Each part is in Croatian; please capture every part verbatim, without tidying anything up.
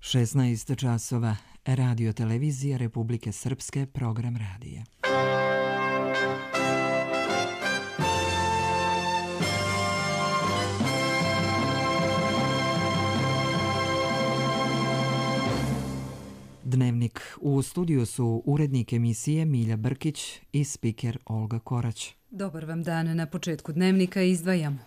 šesnaest časova, Radio televizija Republike Srpske, program radija. Dnevnik. U studiju su urednik emisije Milja Brkić i spiker Olga Korać. Dobar vam dan. Na početku Dnevnika izdvajamo.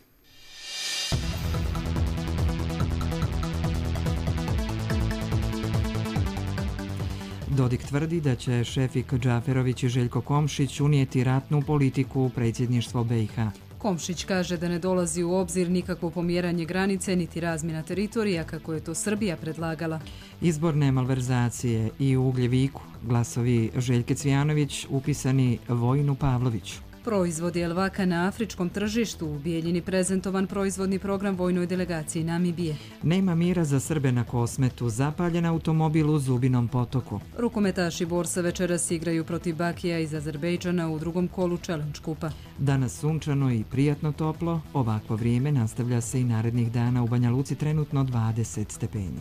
Dodik tvrdi da će Šefik Džaferović i Željko Komšić unijeti ratnu politiku u predsjedništvo B i H. Komšić kaže da ne dolazi u obzir nikakvo pomjeranje granice niti razmjena teritorija kako je to Srbija predlagala. Izborne malverzacije i u Ugljeviku. Glasovi Željke Cvijanović upisani Vojinu Pavloviću. Proizvodi Elvaka na afričkom tržištu. U Bijeljini prezentovan proizvodni program vojnoj delegaciji Namibije. Nema mira za Srbe na Kosmetu. Zapaljen automobil u Zubinom potoku. Rukometaši Borsa večeras igraju protiv Bakija iz Azerbejdžana u drugom kolu Challenge kupa. Danas sunčano i prijatno toplo. Ovakvo vrijeme nastavlja se i narednih dana. U Banja Luci trenutno dvadeset stepeni.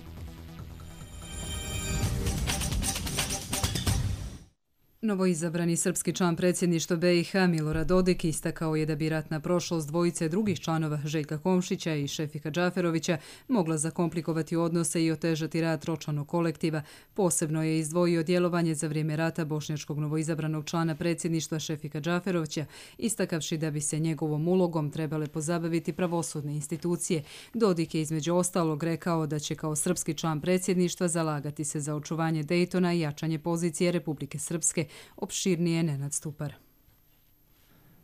Novoizabrani srpski član predsjedništva B i H Milorad Dodik istakao je da bi ratna prošlost dvojice drugih članova Željka Komšića i Šefika Džaferovića mogla zakomplikovati odnose i otežati rad tročlanog kolektiva. Posebno je izdvojio djelovanje za vrijeme rata bošnjačkog novoizabranog člana predsjedništva Šefika Džaferovića, istakavši da bi se njegovom ulogom trebale pozabaviti pravosudne institucije. Dodik je između ostalog rekao da će kao srpski član predsjedništva zalagati se za očuvanje Dejtona i jačanje pozicije Republike Srpske. Opširnije Nenad Stupar.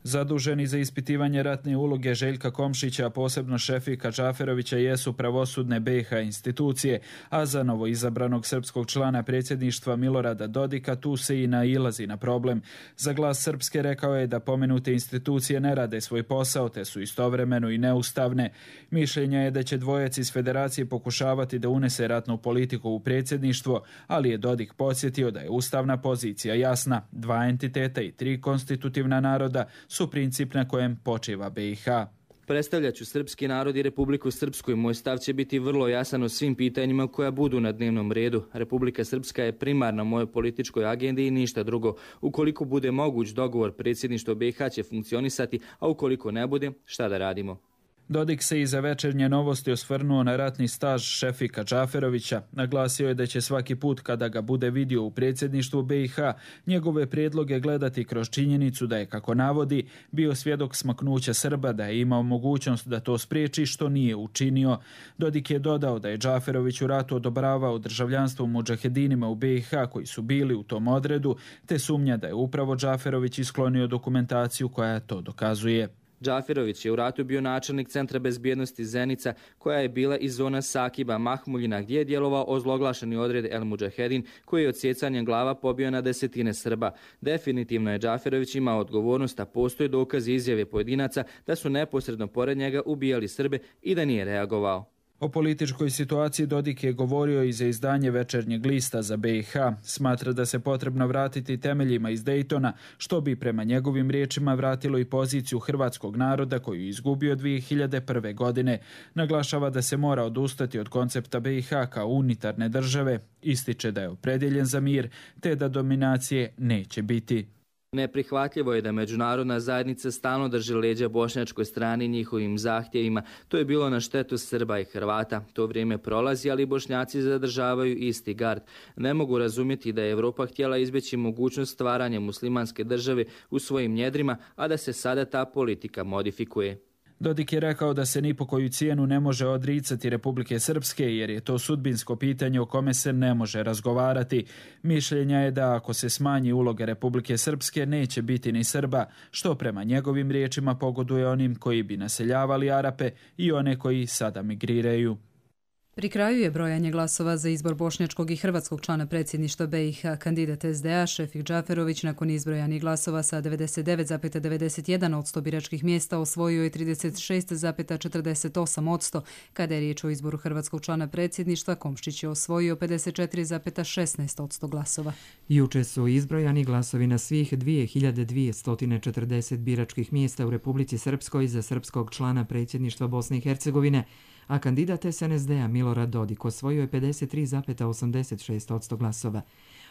Zaduženi za ispitivanje ratne uloge Željka Komšića, a posebno Šefika Džaferovića, jesu pravosudne B i H institucije, a za novoizabranog srpskog člana predsjedništva Milorada Dodika tu se i nailazi na problem. Za Glas Srpske rekao je da pomenute institucije ne rade svoj posao, te su istovremeno i neustavne. Mišljenja je da će dvojac iz federacije pokušavati da unese ratnu politiku u predsjedništvo, ali je Dodik podsjetio da je ustavna pozicija jasna. Dva entiteta i tri konstitutivna naroda su princip na kojem počiva B i H. Predstavljaću srpski narod i Republiku Srpsku i moj stav će biti vrlo jasan o svim pitanjima koja budu na dnevnom redu. Republika Srpska je primarna mojoj političkoj agendi i ništa drugo. Ukoliko bude moguć dogovor, predsjedništvo B i H će funkcionisati, a ukoliko ne bude, šta da radimo? Dodik se i za večernje novosti osvrnuo na ratni staž Šefika Džaferovića. Naglasio je da će svaki put kada ga bude vidio u predsjedništvu B i H njegove prijedloge gledati kroz činjenicu da je, kako navodi, bio svjedok smaknuća Srba, da je imao mogućnost da to spriječi, što nije učinio. Dodik je dodao da je Džaferović u ratu odobravao državljanstvo mudžahedinima u B i H koji su bili u tom odredu, te sumnja da je upravo Džaferović isklonio dokumentaciju koja to dokazuje. Džaferović je u ratu bio načelnik Centra bezbjednosti Zenica, koja je bila iz zona Sakiba Mahmuljina, gdje je djelovao ozloglašeni odred El Mudžahedin, koji je od sjecanjem glava pobio na desetine Srba. Definitivno je Džaferović imao odgovornost, a postoje dokazi izjave pojedinaca da su neposredno pored njega ubijali Srbe i da nije reagovao. O političkoj situaciji Dodik je govorio i za izdanje Večernjeg lista za B i H. Smatra da se potrebno vratiti temeljima iz Dejtona, što bi prema njegovim riječima vratilo i poziciju hrvatskog naroda koju je izgubio dvije hiljade prve. godine. Naglašava da se mora odustati od koncepta B i H kao unitarne države, ističe da je opredjeljen za mir, te da dominacije neće biti. Neprihvatljivo je da međunarodna zajednica stalno drži leđa bošnjačkoj strani njihovim zahtjevima. To je bilo na štetu Srba i Hrvata. To vrijeme prolazi, ali Bošnjaci zadržavaju isti gard. Ne mogu razumjeti da je Evropa htjela izbjeći mogućnost stvaranja muslimanske države u svojim njedrima, a da se sada ta politika modifikuje. Dodik je rekao da se ni po koju cijenu ne može odricati Republike Srpske, jer je to sudbinsko pitanje o kome se ne može razgovarati. Mišljenja je da ako se smanji uloga Republike Srpske neće biti ni Srba, što prema njegovim riječima pogoduje onim koji bi naseljavali Arape i one koji sada migriraju. Pri kraju je brojanje glasova za izbor bošnjačkog i hrvatskog člana predsjedništva B i H. Kandidat S D A Šefik Džaferović nakon izbrojanih glasova sa devedeset devet zarez devedeset jedan posto biračkih mjesta osvojio je trideset šest zarez četrdeset osam posto. Kada je riječ o izboru hrvatskog člana predsjedništva, Komšić je osvojio pedeset četiri zarez šesnaest posto glasova. Juče su izbrojani glasovi na svih dvije hiljade dvjesto četrdeset biračkih mjesta u Republici Srpskoj za srpskog člana predsjedništva Bosne i Hercegovine, a kandidat S N S D-a Milorad Dodik osvojio je pedeset tri zarez osamdeset šest posto glasova.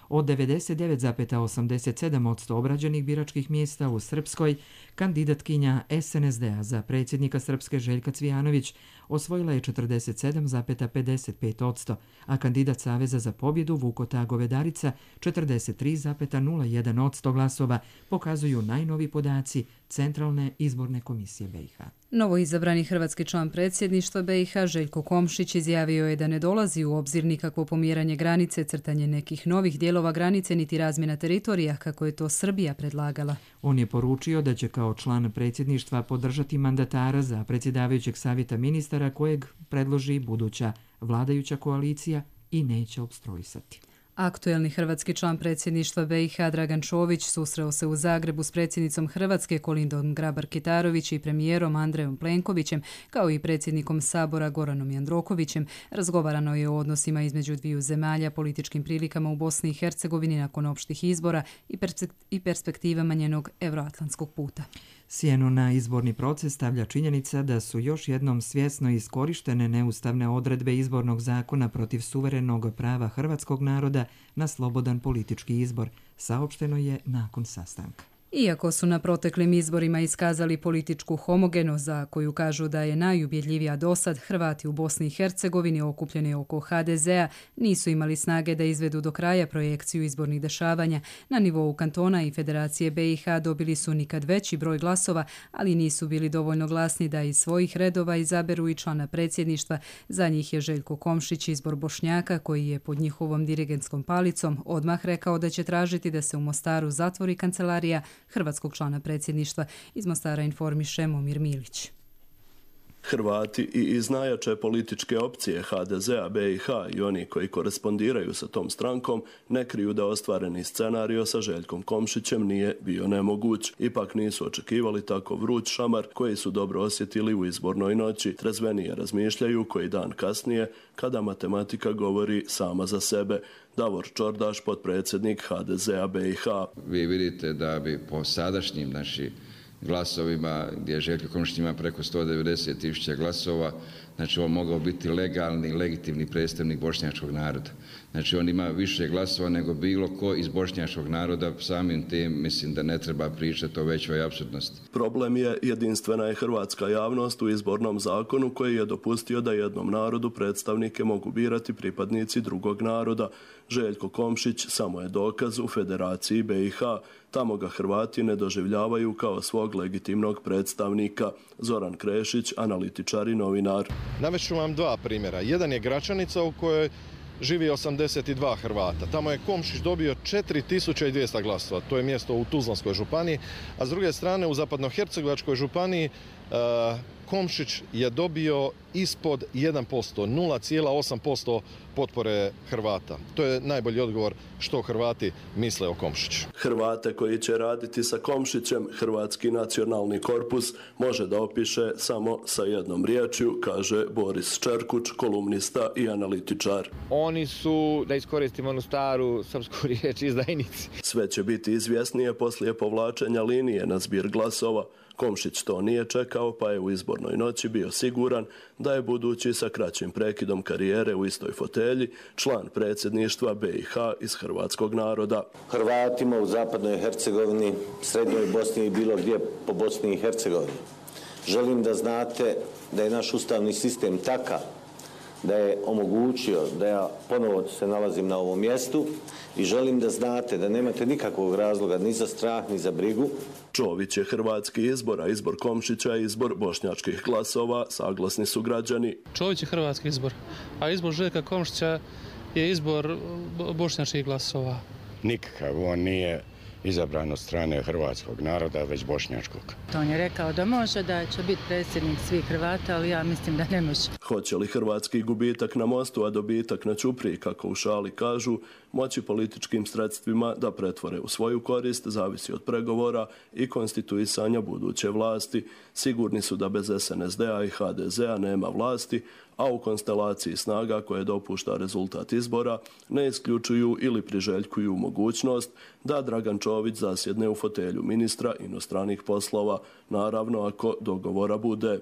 Od devedeset devet zarez osamdeset sedam posto obrađenih biračkih mjesta u Srpskoj, kandidatkinja S N S D-a za predsjednika Srpske Željka Cvijanović osvojila je četrdeset sedam zarez pedeset pet posto, a kandidat Saveza za pobjedu Vuko Tagovedarica četrdeset tri zarez nula jedan posto glasova, pokazuju najnovi podaci Centralne izborne komisije B i H. Novoizabrani hrvatski član predsjedništva B i H Željko Komšić izjavio je da ne dolazi u obzir nikakvo pomjeranje granice, crtanje nekih novih dijelova granice niti razmjena teritorija kako je to Srbija predlagala. On je poručio da će kao član predsjedništva podržati mandatara za predsjedavajućeg savjeta ministara kojeg predloži buduća vladajuća koalicija i neće opstruisati. Aktuelni hrvatski član predsjedništva B i H Dragan Čović susreo se u Zagrebu s predsjednicom Hrvatske Kolindom Grabar-Kitarović i premijerom Andrejom Plenkovićem, kao i predsjednikom Sabora Goranom Jandrokovićem. Razgovarano je o odnosima između dviju zemalja, političkim prilikama u Bosni i Hercegovini nakon opštih izbora i perspektivama njenog euroatlantskog puta. Sjenu na izborni proces stavlja činjenica da su još jednom svjesno iskorištene neustavne odredbe izbornog zakona protiv suverenog prava hrvatskog naroda na slobodan politički izbor, saopšteno je nakon sastanka. Iako su na proteklim izborima iskazali političku homogenost za koju kažu da je najubjedljivija dosad, Hrvati u Bosni i Hercegovini okupljeni oko H D Z-a nisu imali snage da izvedu do kraja projekciju izbornih dešavanja. Na nivou kantona i Federacije B i H dobili su nikad veći broj glasova, ali nisu bili dovoljno glasni da iz svojih redova izaberu i člana predsjedništva. Za njih je Željko Komšić izbor Bošnjaka, koji je pod njihovom dirigentskom palicom odmah rekao da će tražiti da se u Mostaru zatvori kancelarija hrvatskog člana predsjedništva. Iz Mostara informiše Momir Milić. Hrvati i iz najjače političke opcije H D Z-a, B i H i oni koji korespondiraju sa tom strankom ne kriju da ostvareni scenario sa Željkom Komšićem nije bio nemoguć. Ipak nisu očekivali tako vruć šamar koji su dobro osjetili u izbornoj noći. Trezvenije razmišljaju koji dan kasnije kada matematika govori sama za sebe. Davor Čordaš, potpredsjednik H D Z-a B i H. Vi vidite da bi po sadašnjim našim glasovima, gdje Željko Komšić ima preko sto devedeset tisuća glasova, znači on mogao biti legalni, legitimni predstavnik bošnjačkog naroda. Znači on ima više glasova nego bilo ko iz bošnjačkog naroda, samim tim mislim da ne treba pričati o većoj apsurdnosti. Problem je jedinstvena je hrvatska javnost u izbornom zakonu koji je dopustio da jednom narodu predstavnike mogu birati pripadnici drugog naroda. Željko Komšić samo je dokaz u Federaciji B i H. Tamo ga Hrvati ne doživljavaju kao svog legitimnog predstavnika. Zoran Krešić, analitičar i novinar. Navešću vam dva primjera. Jedan je Gračanica u kojoj živi osamdeset dva Hrvata. Tamo je Komšić dobio četiri tisuće dvjesto glasova. To je mjesto u Tuzlanskoj županiji. A s druge strane u Zapadnohercegovačkoj županiji uh, Komšić je dobio ispod jedan posto, nula zarez osam posto potpore Hrvata. To je najbolji odgovor što Hrvati misle o Komšiću. Hrvate koji će raditi sa Komšićem Hrvatski nacionalni korpus može da opiše samo sa jednom riječju, kaže Boris Čerkuć, kolumnista i analitičar. Oni su, da iskoristimo onu staru srpsku riječ, izdajnici. Sve će biti izvjesnije poslije povlačenja linije na zbir glasova. Komšić to nije čekao, pa je u izbornoj noći bio siguran da je budući sa kraćim prekidom karijere u istoj fotelji član predsjedništva B i H iz hrvatskog naroda. Hrvatima u zapadnoj Hercegovini, srednjoj Bosni i bilo gdje po Bosni i Hercegovini. Želim da znate da je naš ustavni sistem takav da je omogućio da ja ponovo se nalazim na ovom mjestu i želim da znate da nemate nikakvog razloga ni za strah ni za brigu. Čović je hrvatski izbor, a izbor Komšića je izbor bošnjačkih glasova, saglasni su građani. Čović je hrvatski izbor, a izbor Željka Komšića je izbor bošnjačkih glasova. Nikakav, on nije izabran od strane hrvatskog naroda, već bošnjačkog. On je rekao da može, da će biti predsjednik svih Hrvata, ali ja mislim da ne može. Hoće li hrvatski gubitak na mostu, a dobitak na ćupriji, kako u šali kažu, moći političkim sredstvima da pretvore u svoju korist, zavisi od pregovora i konstituisanja buduće vlasti. Sigurni su da bez S N S D-a i H D Z-a nema vlasti, a u konstelaciji snaga koje dopušta rezultat izbora ne isključuju ili priželjkuju mogućnost da Dragan Čović zasjedne u fotelju ministra inostranih poslova, naravno ako dogovora bude.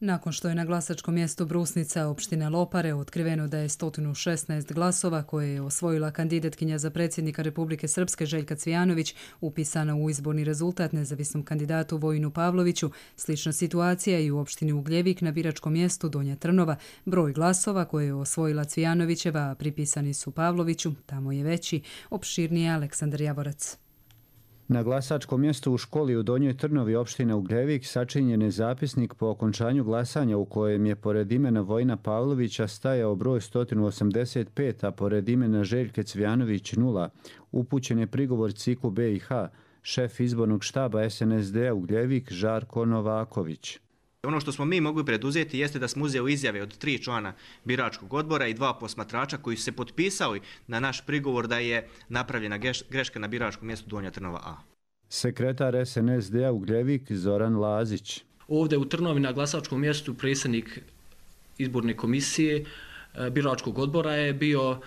Nakon što je na glasačkom mjestu Brusnica opštine Lopare otkriveno da je sto šesnaest glasova koje je osvojila kandidatkinja za predsjednika Republike Srpske Željka Cvijanović upisana u izborni rezultat nezavisnom kandidatu Vojinu Pavloviću, slična situacija i u opštini Ugljevik na biračkom mjestu Donja Trnova. Broj glasova koje je osvojila Cvijanovićeva, a pripisani su Pavloviću, tamo je veći. Opširnije Aleksandar Javorac. Na glasačkom mjestu u školi u Donjoj Trnovi opštine Ugljevik sačinjen je zapisnik po okončanju glasanja u kojem je pored imena Vojina Pavlovića stajao broj sto osamdeset pet, a pored imena Željke Cvijanović nula. Upućen je prigovor C I K-u B i H, šef izbornog štaba S N S D-a Ugljevik Žarko Novaković. Ono što smo mi mogli preduzeti jeste da smo uzeli izjave od tri člana biračkog odbora i dva posmatrača koji su se potpisali na naš prigovor da je napravljena greška na biračkom mjestu Donja Trnova A. Sekretar S N S D-a Ugljevik Zoran Lazić. Ovdje u Trnovi na glasačkom mjestu predsjednik izborne komisije biračkog odbora je bio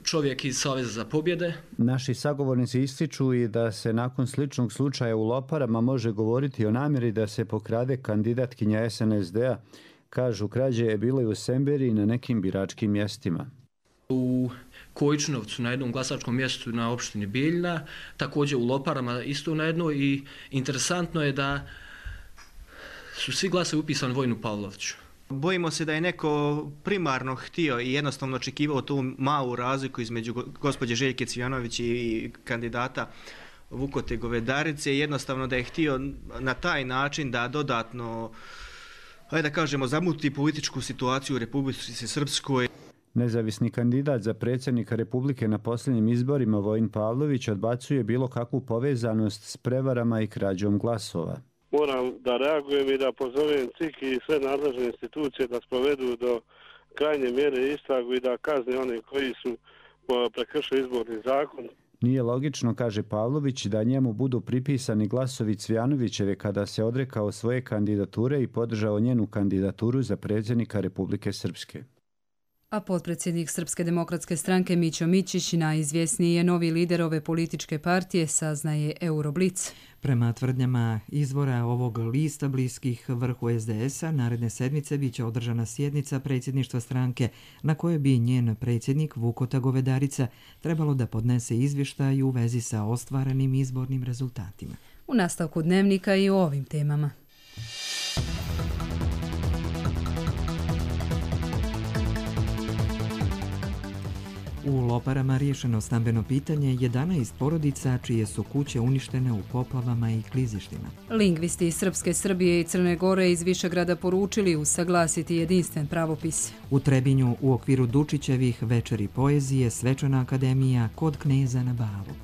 čovjek iz Saveza za pobjede. Naši sagovornici ističu i da se nakon sličnog slučaja u Loparama može govoriti o namjeri da se pokrade kandidatkinja S N S D-a. Kažu, krađe je bilo i u Semberi i na nekim biračkim mjestima. U Kojičnovcu na jednom glasačkom mjestu na opštini Bijeljina, također u Loparama isto na jedno i interesantno je da su svi glasovi upisani Vojinu Pavloviću. Bojimo se da je neko primarno htio i jednostavno očekivao tu malu razliku između gospođe Željke Cvijanović i kandidata Vukote Govedarice. Jednostavno da je htio na taj način da dodatno, ajde da kažemo, zamuti političku situaciju u Republici Srpskoj. Nezavisni kandidat za predsjednika Republike na posljednjim izborima Vojin Pavlović odbacuje bilo kakvu povezanost s prevarama i krađom glasova. Moram da reagujem i da pozovem C I K i sve nadležne institucije da sprovedu do krajnje mjere istragu i da kazne one koji su prekršili izborni zakon. Nije logično, kaže Pavlović, da njemu budu pripisani glasovi Cvijanovićeve kada se odrekao svoje kandidature i podržao njenu kandidaturu za predsjednika Republike Srpske. A potpredsjednik Srpske demokratske stranke Mićo Mićić najizvjesniji je novi lider ove političke partije, saznaje Euroblic. Prema tvrdnjama izvora ovog lista bliskih vrhu S D S-a, naredne sedmice biće održana sjednica predsjedništva stranke na kojoj bi njen predsjednik Vukota Govedarica trebalo da podnese izvještaj u vezi sa ostvarenim izbornim rezultatima. U nastavku dnevnika i o ovim temama. U Loparama riješeno stambeno pitanje jedanaest porodica čije su kuće uništene u poplavama i klizištima. Lingvisti iz Srpske Srbije i Crne Gore iz Višegrada poručili usaglasiti jedinstven pravopis. U Trebinju u okviru Dučićevih večeri poezije Svečana akademija kod kneza na Balu.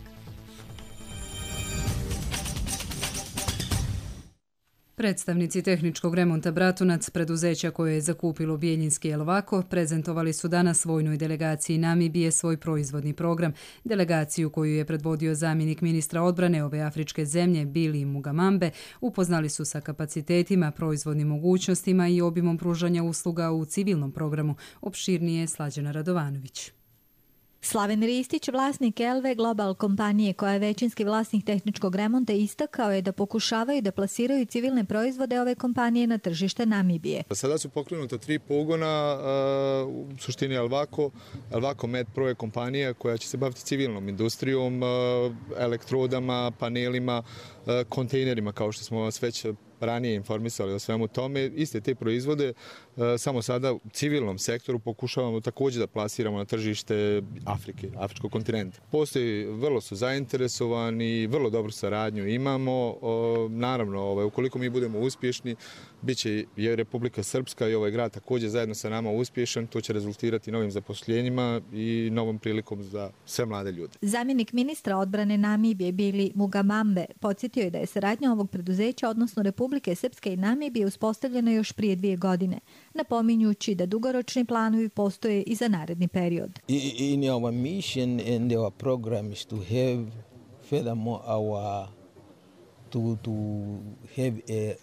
Predstavnici tehničkog remonta Bratunac, preduzeća koje je zakupilo Bijeljinski Elvako, prezentovali su danas vojnoj delegaciji Namibije svoj proizvodni program. Delegaciju koju je predvodio zamjenik ministra odbrane ove afričke zemlje Bili Mugamambe upoznali su sa kapacitetima, proizvodnim mogućnostima i obimom pružanja usluga u civilnom programu. Opširnije Slađana Radovanović. Slaven Ristić, vlasnik Elve Global kompanije koja je većinski vlasnik tehničkog remonta, istakao je da pokušavaju da plasiraju civilne proizvode ove kompanije na tržište Namibije. Sada su pokrenuta tri pogona, u suštini Elvako. Elvako Med Pro je kompanija koja će se baviti civilnom industrijom, elektrodama, panelima, kontejnerima, kao što smo vas već ranije informisali o svemu tome. Iste te proizvode samo sada u civilnom sektoru pokušavamo također da plasiramo na tržište Afrike, afričkog kontinenta. Postoji, vrlo su zainteresovani, vrlo dobru saradnju imamo. Naravno, ukoliko mi budemo uspješni, bit će je Republika Srpska i ovaj grad također zajedno sa nama uspješan. To će rezultirati novim zaposljenjima i novom prilikom za sve mlade ljude. Zamjenik ministra odbrane Namibije Bili Mugamambe podsjetio je da je saradnja ovog preduzeća, odnosno Republike Srpske i Namibije, uspostavljena još prije dvije godine, napominjući da dugoročni planovi postoje i za naredni period. In our mission and our program is to have furthermore our to to have a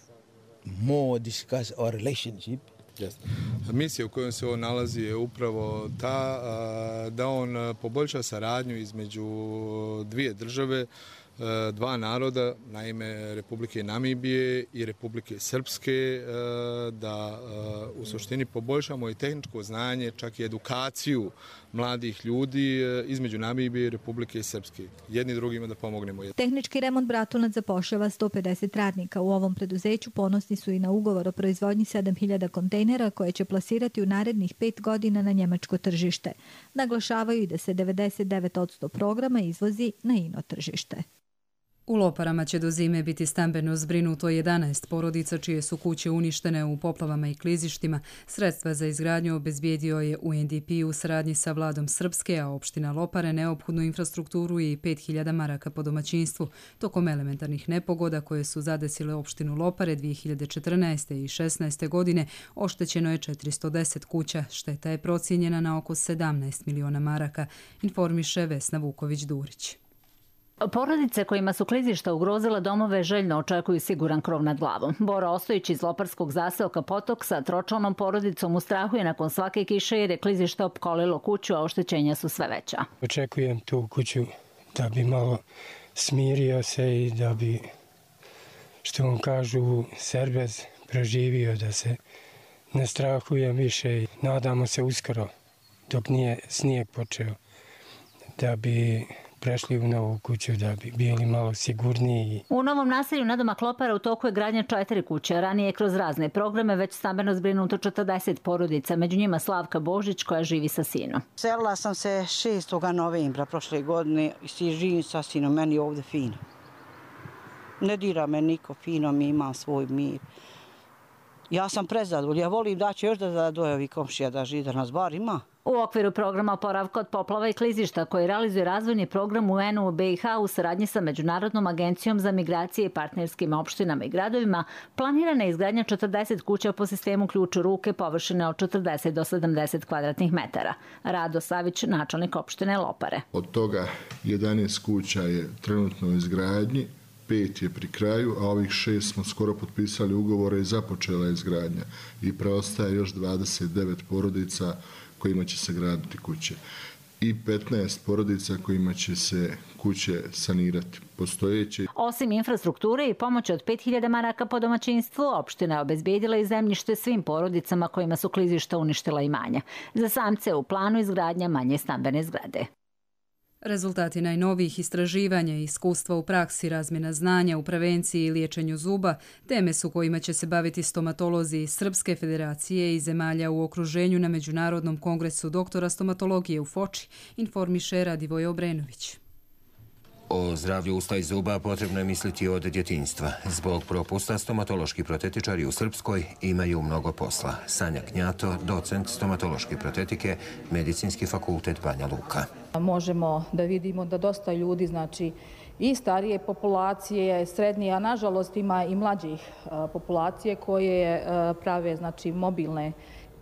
more discuss our relationship. Yes. Misija u kojoj se on nalazi je upravo ta da on poboljša saradnju između dvije države, dva naroda, naime Republike Namibije i Republike Srpske, da u suštini poboljšamo i tehničko znanje, čak i edukaciju mladih ljudi između Namibije i Republike Srpske. Jedni drugima da pomognemo. Tehnički remont Bratunac zapošljava sto pedeset radnika. U ovom preduzeću ponosni su i na ugovor o proizvodnji sedam hiljada kontejnera koje će plasirati u narednih pet godina na njemačko tržište. Naglašavaju i da se devedeset devet posto programa izvozi na ino tržište. U Loparama će do zime biti stambeno zbrinuto jedanaest porodica čije su kuće uništene u poplavama i klizištima. Sredstva za izgradnju obezbijedio je U N D P u saradnji sa vladom Srpske, a opština Lopare neophodnu infrastrukturu i pet hiljada maraka po domaćinstvu. Tokom elementarnih nepogoda koje su zadesile opštinu Lopare dvije hiljade četrnaeste i šesnaeste. godine oštećeno je četiristo deset kuća. Šteta je procijenjena na oko sedamnaest miliona maraka, informiše Vesna Vuković-Durić. Porodice kojima su klizišta ugrozila domove željno očekuju siguran krov nad glavom. Bora Ostojić iz loparskog zaseoka Potok sa tročlanom porodicom u strahu je nakon svake kiše jer je klizište opkolilo kuću, a oštećenja su sve veća. Očekujem tu kuću da bi malo smirio se i da bi, što vam kažu, serbez preživio, da se ne strahujem više i nadamo se uskoro, dok nije snijeg počeo, da bi prešli u novu kuću, da bi bili malo sigurniji. U novom naselju nadomak Lopara u toku je gradnja četiri kuće. Ranije je kroz razne programe već stambeno zbrinuto četrdeset porodica, među njima Slavka Božić koja živi sa sinom. Selila sam se šestog novembra prošle godine i živim sa sinom, meni je ovdje fino. Ne dira me niko, fino mi, imam svoj mir. Ja sam prezadovoljna, ja volim da će još da dojavi komšija da živi, da nas bar ima. U okviru programa oporavka od poplava i klizišta koji realizuje razvojni program U N u B i H u saradnji sa Međunarodnom agencijom za migracije i partnerskim opštinama i gradovima planirana je izgradnja četrdeset kuća po sistemu ključ u ruke površine od četrdeset do sedamdeset kvadratnih metara. Rado Savić, načelnik opštine Lopare. Od toga jedanaest kuća je trenutno u izgradnji, pet je pri kraju, a ovih šest smo skoro potpisali ugovore i započela je izgradnja. I preostaje još dvadeset devet porodica kojima će se graditi kuće i petnaest porodica kojima će se kuće sanirati postojeće. Osim infrastrukture i pomoći od pet hiljada maraka po domaćinstvu, opština je obezbijedila i zemljište svim porodicama kojima su klizišta uništila imanja. Za samce u planu izgradnja manje stambene zgrade. Rezultati najnovijih istraživanja i iskustva u praksi, razmjena znanja u prevenciji i liječenju zuba, teme su kojima će se baviti stomatolozi iz Srpske federacije i zemalja u okruženju na Međunarodnom kongresu doktora stomatologije u Foči, informiše Radivoj Obrenović. O zdravlju usta i zuba potrebno je misliti od djetinjstva. Zbog propusta stomatološki protetičari u Srpskoj imaju mnogo posla. Sanja Knjato, docent stomatološke protetike, Medicinski fakultet Banja Luka. Možemo da vidimo da dosta ljudi, znači i starije populacije, srednje, a nažalost ima i mlađih populacije koje prave, znači, mobilne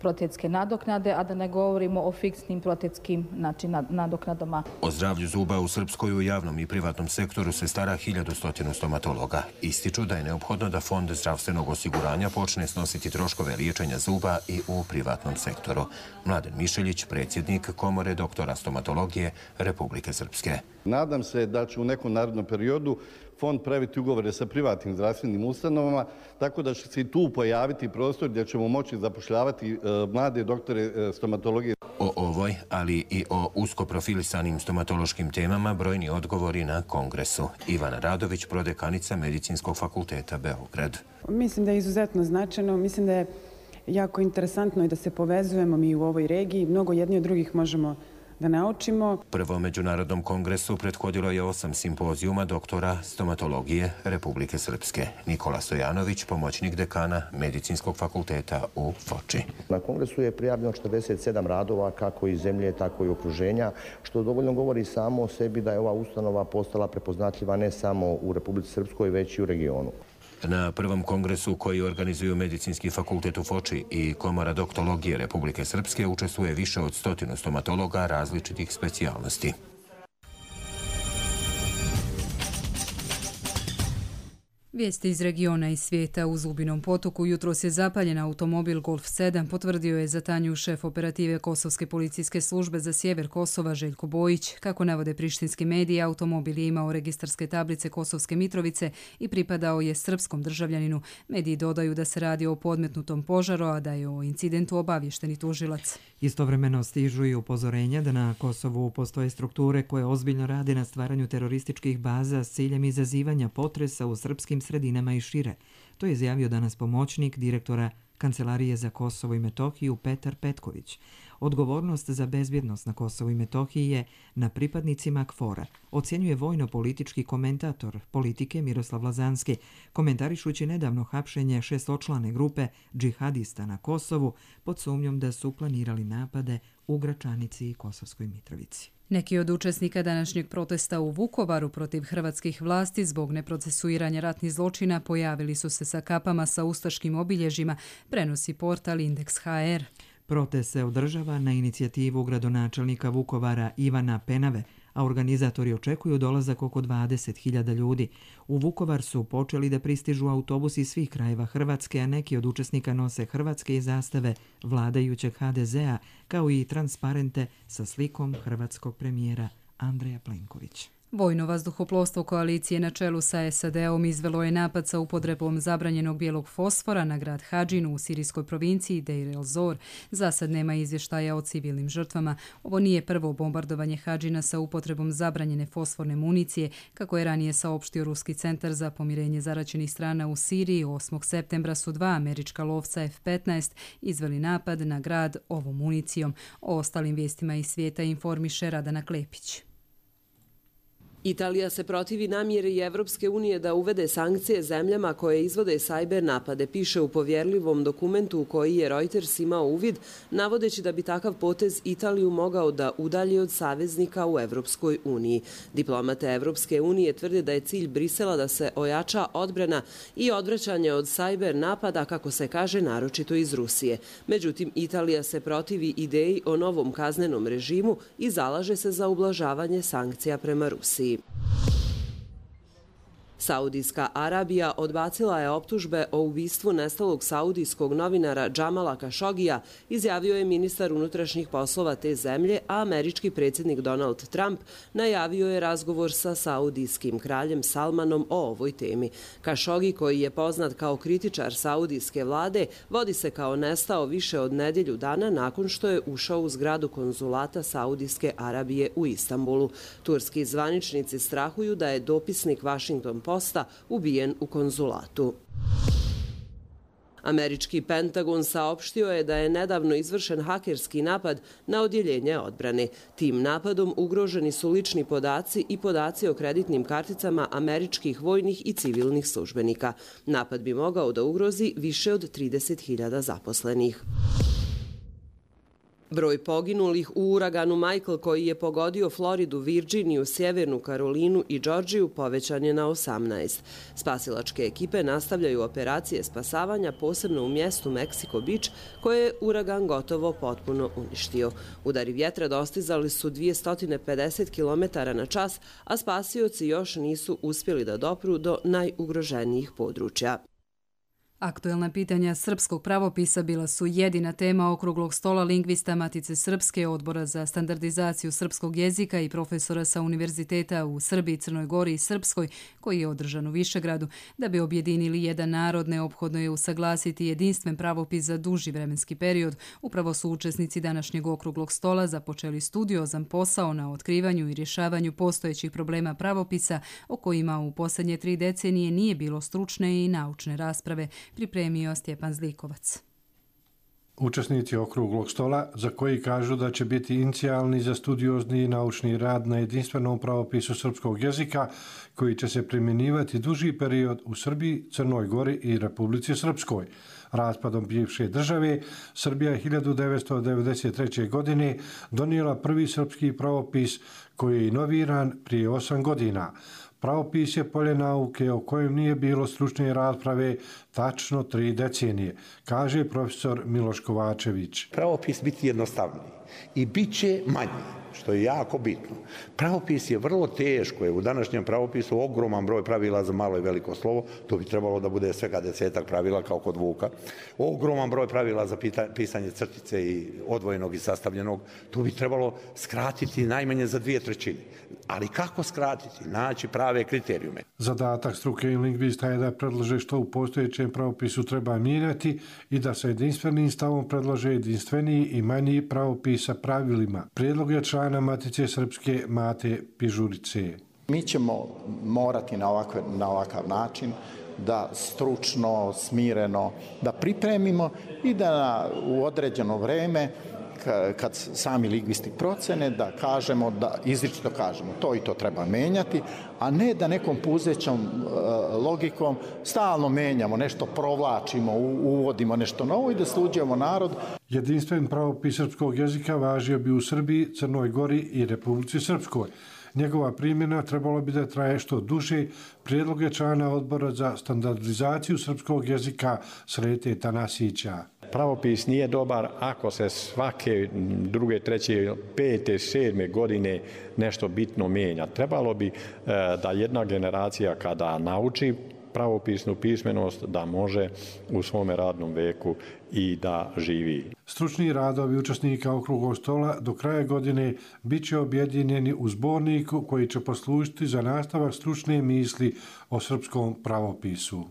protetske nadoknade, a da ne govorimo o fiksnim protetskim, znači, nadoknadama. O zdravlju zuba u Srpskoj u javnom i privatnom sektoru se stara hiljadu stotinu stomatologa. Ističu da je neophodno da Fond zdravstvenog osiguranja počne snositi troškove liječenja zuba i u privatnom sektoru. Mladen Mišeljić, predsjednik Komore doktora stomatologije Republike Srpske. Nadam se da će u nekom narednom periodu Fond praviti ugovore sa privatnim zdravstvenim ustanovama, tako da će se i tu pojaviti prostor gdje ćemo moći zapošljavati mlade doktore stomatologije. O ovoj, ali i o usko profilisanim stomatološkim temama brojni odgovori na kongresu. Ivana Radović, prodekanica Medicinskog fakulteta Beograd. Mislim da je izuzetno značajno, mislim da je jako interesantno i da se povezujemo mi u ovoj regiji. Mnogo jedni od drugih možemo da naučimo. Prvom Međunarodnom kongresu prethodilo je osam simpozijuma doktora stomatologije Republike Srpske. Nikola Stojanović, pomoćnik dekana Medicinskog fakulteta u Foči. Na kongresu je prijavljeno četrdeset sedam radova kako iz zemlje, tako i okruženja, što dovoljno govori samo o sebi da je ova ustanova postala prepoznatljiva ne samo u Republici Srpskoj, već i u regionu. Na prvom kongresu koji organizuju Medicinski fakultet u Foči i Komora doktologije Republike Srpske učestvuje više od stotinu stomatologa različitih specijalnosti. Vijesti iz regiona i svijeta. U Zubinom potoku jutros je zapaljen automobil Golf sedam, potvrdio je za Tanju šef operative Kosovske policijske službe za sjever Kosova Željko Bojić. Kako navode prištinski mediji, automobil je imao registarske tablice Kosovske Mitrovice i pripadao je srpskom državljaninu. Mediji dodaju da se radi o podmetnutom požaru, a da je o incidentu obavješteni tužilac. Istovremeno stižu i upozorenja da na Kosovu postoje strukture koje ozbiljno rade na stvaranju terorističkih baza s ciljem izazivanja potresa u srpskim sredinama i šire. To je izjavio danas pomoćnik direktora Kancelarije za Kosovo i Metohiju Petar Petković. Odgovornost za bezbjednost na Kosovu i Metohiji je na pripadnicima KFOR-a, ocjenjuje vojno-politički komentator politike Miroslav Lazanski, komentarišući nedavno hapšenje šestočlane grupe džihadista na Kosovu pod sumnjom da su planirali napade u Gračanici i Kosovskoj Mitrovici. Neki od učesnika današnjeg protesta u Vukovaru protiv hrvatskih vlasti zbog neprocesuiranja ratnih zločina pojavili su se sa kapama sa ustaškim obilježjima, prenosi portal Indeks ha er. Protest se održava na inicijativu gradonačelnika Vukovara Ivana Penave, a organizatori očekuju dolazak oko dvadeset hiljada ljudi. U Vukovar su počeli da pristižu autobusi iz svih krajeva Hrvatske, a neki od učesnika nose hrvatske i zastave vladajućeg ha de zea, kao i transparente sa slikom hrvatskog premijera Andreja Plenkovića. Vojno vazduhoplovstvo koalicije na čelu sa es a de om izvelo je napad sa upotrebom zabranjenog bijelog fosfora na grad Hadžinu u sirijskoj provinciji Deir el-Zor. Za sad nema izvještaja o civilnim žrtvama. Ovo nije prvo bombardovanje Hadžina sa upotrebom zabranjene fosforne municije, kako je ranije saopštio Ruski centar za pomirenje zaraćenih strana u Siriji. osmog septembra su dva američka lovca ef petnaest izveli napad na grad ovom municijom. O ostalim vijestima iz svijeta informiše Radana Klepić. Italija se protivi namjeri Evropske unije da uvede sankcije zemljama koje izvode sajber napade, piše u povjerljivom dokumentu u koji je Reuters imao uvid, navodeći da bi takav potez Italiju mogao da udalji od saveznika u Evropskoj uniji. Diplomate Evropske unije tvrde da je cilj Brisela da se ojača odbrana i odvraćanje od sajber napada, kako se kaže, naročito iz Rusije. Međutim, Italija se protivi ideji o novom kaznenom režimu i zalaže se za ublažavanje sankcija prema Rusiji. Saudijska Arabija odbacila je optužbe o ubistvu nestalog saudijskog novinara Džamala Kašogija, izjavio je ministar unutrašnjih poslova te zemlje, a američki predsjednik Donald Trump najavio je razgovor sa saudijskim kraljem Salmanom o ovoj temi. Kašogi, koji je poznat kao kritičar saudijske vlade, vodi se kao nestao više od nedjelju dana nakon što je ušao u zgradu konzulata Saudijske Arabije u Istanbulu. Turski zvaničnici strahuju da je dopisnik Washington Posta ubijen u konzulatu. Američki Pentagon saopštio je da je nedavno izvršen hakerski napad na odjeljenje odbrane. Tim napadom ugroženi su lični podaci i podaci o kreditnim karticama američkih vojnih i civilnih službenika. Napad bi mogao da ugrozi više od trideset hiljada zaposlenih. Broj poginulih u uraganu Michael, koji je pogodio Floridu, Virginiju, Sjevernu Karolinu i Džordžiju, povećan je na osamnaest. Spasilačke ekipe nastavljaju operacije spasavanja, posebno u mjestu Mexico Beach, koje je uragan gotovo potpuno uništio. Udari vjetra dostizali su dvjesto pedeset kilometara na čas, a spasioci još nisu uspjeli da dopru do najugroženijih područja. Aktuelna pitanja srpskog pravopisa bila su jedina tema okruglog stola lingvista Matice Srpske, Odbora za standardizaciju srpskog jezika i profesora sa univerziteta u Srbiji, Crnoj Gori i Srpskoj, koji je održan u Višegradu. Da bi objedinili jedan narod, neophodno je usaglasiti jedinstven pravopis za duži vremenski period. Upravo su učesnici današnjeg okruglog stola započeli studiozan posao na otkrivanju i rješavanju postojećih problema pravopisa, o kojima u posljednje tri decenije nije bilo stručne i naučne rasprave, pripremio Stjepan Zlikovac. Učesnici okruglog stola, za koji kažu da će biti inicijalni za studiozni i naučni rad na jedinstvenom pravopisu srpskog jezika, koji će se primjenjivati duži period u Srbiji, Crnoj Gori i Republici Srpskoj. Raspadom bivše države, Srbija je hiljadu devetsto devedeset treće. godine donijela prvi srpski pravopis, koji je inoviran prije osam godina. Pravopis je polje nauke o kojem nije bilo stručne rasprave tačno tri decenije, kaže profesor Miloš Kovačević. Pravopis biti jednostavniji. i bit će manji, što je jako bitno. Pravopis je vrlo teško, je u današnjem pravopisu ogroman broj pravila za malo i veliko slovo, to bi trebalo da bude svega desetak pravila kao kod Vuka, ogroman broj pravila za pisanje crtice i odvojenog i sastavljenog, to bi trebalo skratiti najmanje za dvije trećine. Ali kako skratiti? Naći prave kriterijume. Zadatak struke i lingvista je da predlože što u postojećem pravopisu treba mijenjati i da sa jedinstvenim stavom predlože jedinstveniji i manji pravopis sa pravilima. Prijedlog je člana Matice Srpske Mate Pižurice. Mi ćemo morati na ovakav, na ovakav način da stručno, smireno, da pripremimo i da u određeno vreme kad sami lingvisti procene, da kažemo, da izričito kažemo to i to treba menjati, a ne da nekom puzećom logikom stalno menjamo, nešto provlačimo, uvodimo nešto novo i da sluđujemo narod. Jedinstven pravopis srpskog jezika važio bi u Srbiji, Crnoj Gori i Republici Srpskoj. Njegova primjena trebalo bi da traje što duže. Prijedlog je člana odbora za standardizaciju srpskog jezika Srete Tanasića. Pravopis nije dobar ako se svake druge, treće, pete, sedme godine nešto bitno mijenja. Trebalo bi da jedna generacija kada nauči pravopisnu pismenost da može u svome radnom veku i da živi. Stručni radovi učesnika okruglog stola do kraja godine bit će objedinjeni u zborniku koji će poslužiti za nastavak stručne misli o srpskom pravopisu.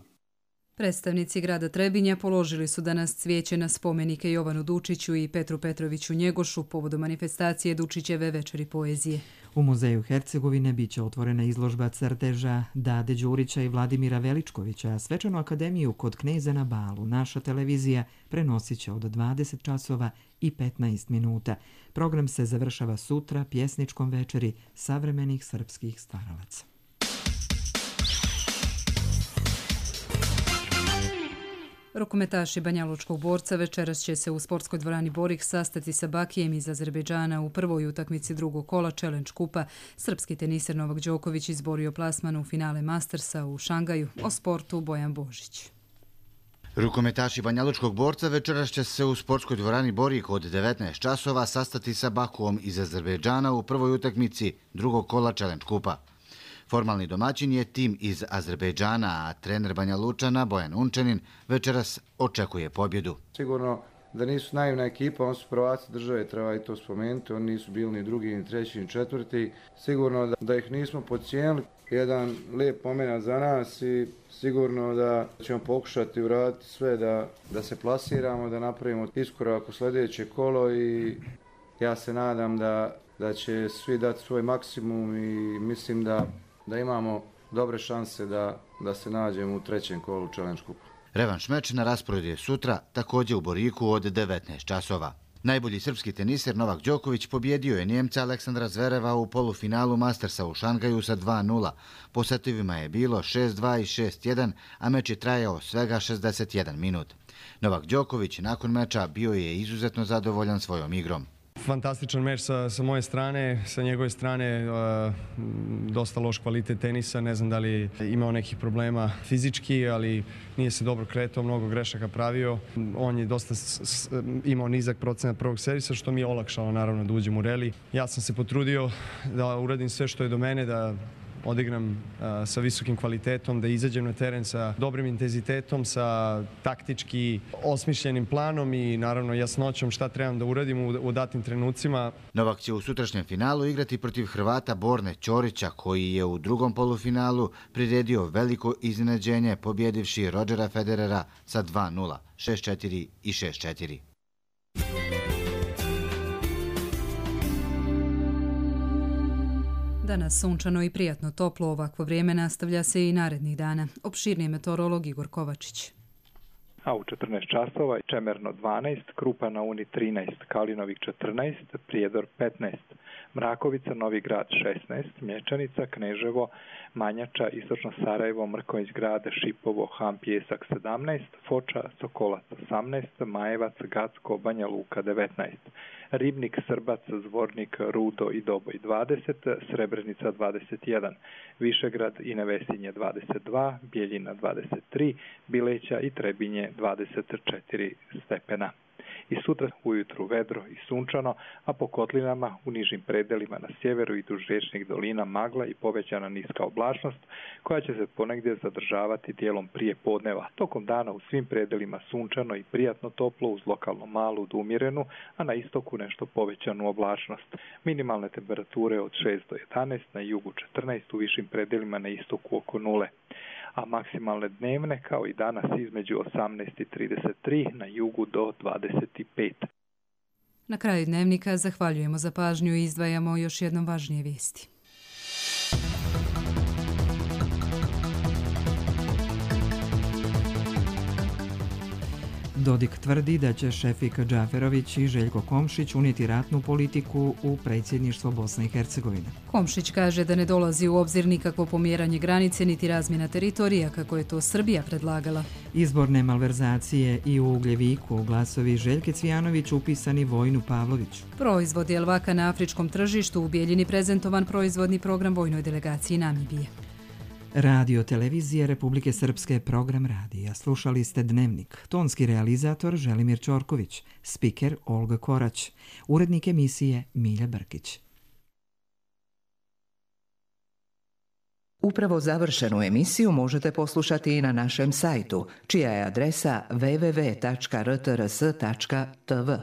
Predstavnici grada Trebinja položili su danas cvijeće na spomenike Jovanu Dučiću i Petru Petroviću Njegošu povodom manifestacije Dučićeve večeri poezije. U Muzeju Hercegovine bit će otvorena izložba crteža Dade Đurića i Vladimira Veličkovića, a svečanu akademiju kod Kneza na Balu naša televizija prenosit će od dvadeset časova i petnaest minuta. Program se završava sutra pjesničkom večeri savremenih srpskih stvaralaca. Rukometaši Banjalučkog borca večeras će se u sportskoj dvorani Borik sastati sa Bakijem iz Azerbejdžana u prvoj utakmici drugog kola Challenge kupa. Srpski teniser Novak Đoković izborio plasman u finale Mastersa u Šangaju. O sportu Bojan Božić. Rukometaši Banjalučkog borca večeras će se u sportskoj dvorani Borik od devetnaest časova sastati sa Bakuom iz Azerbejdžana u prvoj utakmici drugog kola Challenge kupa. Formalni domaćin je tim iz Azerbejdžana, a trener Banja Lučana Bojan Unčanin večeras očekuje pobjedu. Sigurno da nisu naivna ekipa, oni su prvaci države, treba i to spomenuti, oni nisu bili ni drugi, ni treći, ni četvrti. Sigurno da, da ih nismo podcijenili, jedan lijep momenat za nas i sigurno da ćemo pokušati uraditi sve da, da se plasiramo, da napravimo iskorak u sljedeće kolo i ja se nadam da, da će svi dati svoj maksimum i mislim da da imamo dobre šanse da, da se nađemo u trećem kolu Challenge kupa. Revanš meč na rasporedu je sutra, također u Boriku od devetnaest časova. Najbolji srpski teniser Novak Đoković pobjedio je Njemca Aleksandra Zvereva u polufinalu Mastersa u Šangaju sa dva nula. Po setovima je bilo šest dva i šest jedan, a meč je trajao svega šezdeset jedan minut. Novak Đoković nakon meča bio je izuzetno zadovoljan svojom igrom. Fantastičan meč sa, sa moje strane, sa njegove strane uh, dosta loš kvalitet tenisa, ne znam da li imao nekih problema fizički, ali nije se dobro kretao, mnogo grešaka pravio. On je dosta s, s, imao nizak procenat prvog servisa, što mi je olakšalo naravno da uđem u reli. Ja sam se potrudio da uradim sve što je do mene, da odigram uh, sa visokim kvalitetom, da izađem na teren sa dobrim intenzitetom, sa taktički osmišljenim planom i naravno jasnoćom šta trebam da uradim u, u datim trenucima. Novak će u sutrašnjem finalu igrati protiv Hrvata Borne Ćorića, koji je u drugom polufinalu priredio veliko iznenađenje pobjedivši Rodgera Federera sa dva nula, šest četiri i šest četiri. Danas sunčano i prijatno toplo, ovakvo vrijeme nastavlja se i narednih dana. Opširniji meteorolog Igor Kovačić. A u četrnaest časova Čemerno dvanaest, Krupa na Uni trinaest, Kalinovik četrnaest, Prijedor petnaest, Mrakovica, Novi Grad šesnaest, Mječanica, Kneževo, Manjača, Istočno Sarajevo, Mrkonjić Grad, Šipovo, Ham, Pijesak sedamnaest, Foča, Sokolac osamnaest, Majevac, Gacko, Banja Luka devetnaest, Ribnik, Srbac, Zvornik, Rudo i Doboj dvadeset, Srebrenica dvadeset jedan, Višegrad i Nevesinje dvadeset dva, Bijeljina dvadeset tri, Bileća i Trebinje dvadeset četiri stepena. I sutra ujutru vedro i sunčano, a po kotlinama u nižim predelima na sjeveru i duž riječnih dolina magla i povećana niska oblačnost koja će se ponegdje zadržavati dijelom prije podneva. Tokom dana u svim predelima sunčano i prijatno toplo uz lokalno malu do umjerenu, a na istoku nešto povećanu oblačnost. Minimalne temperature od šest do jedanaest, na jugu četrnaest, u višim predelima na istoku oko nule. A maksimalne dnevne kao i danas između osamnaest i trideset tri, na jugu do dvadeset pet. Na kraju dnevnika zahvaljujemo za pažnju i izdvajamo još jednom važnije vijesti. Dodik tvrdi da će Šefik Džaferović i Željko Komšić unijeti ratnu politiku u predsjedništvo Bosne i Hercegovine. Komšić kaže da ne dolazi u obzir nikakvo pomjeranje granice niti razmjena teritorija kako je to Srbija predlagala. Izborne malverzacije i u Ugljeviku, glasovi Željke Cvijanović upisani Vojnu Pavloviću. Proizvod jelvaka na afričkom tržištu, u Bijeljini prezentovan proizvodni program vojnoj delegaciji Namibije. Radio televizije Republike Srpske, program radija. Slušali ste Dnevnik. Tonski realizator Želimir Čorković, spiker Olga Korać, urednik emisije Milja Brkić. Upravo završenu emisiju možete poslušati i na našem sajtu, čija je adresa w w w tačka r t r s tačka t v.